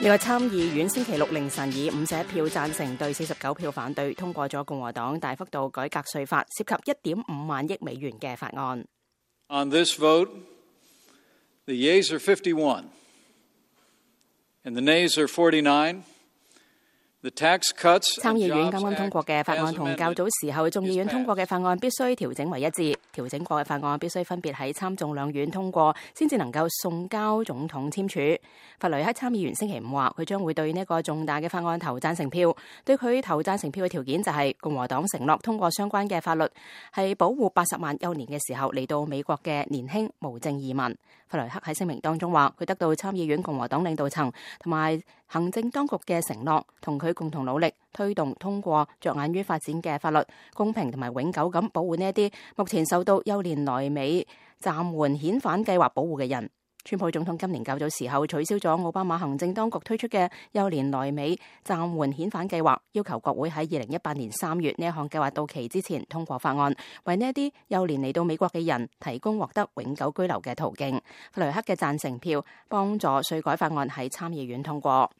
呢個參議院星期六凌晨以51票贊成對49票反對通過咗共和黨大幅度改革稅法涉及1.5萬億美元嘅法案。On this vote, the yeas are 51, and the nays are 49. 參議院啱啱通過嘅法案同較早時候眾議院通過嘅法案必須調整為一致，調整過嘅法案必須分別喺參眾兩院通過，先至能夠送交總統簽署。弗雷克參議員星期五話，佢將會對呢個重大嘅法案投贊成票，對佢投贊成票嘅條件就係共和黨承諾通過相關嘅法律，係保護80萬幼年嘅時候嚟到美國嘅年輕無證移民。弗雷克喺聲明當中話，佢得到參議院共和黨領導層同埋行政當局嘅承諾，同佢共同努力推動通過着眼於發展嘅法律，公平同埋永久咁保護呢一啲目前受到幼年來美暫緩遣返計劃保護嘅人。川普總統今年較早時候取消咗奧巴馬行政當局推出嘅幼年來美暫緩遣返計劃，要求國會喺2018年3月呢一項計劃到期之前通過法案，為呢一啲幼年嚟到美國嘅人提供獲得永久居留嘅途徑。弗雷克嘅贊成票幫助稅改法案喺參議院通過。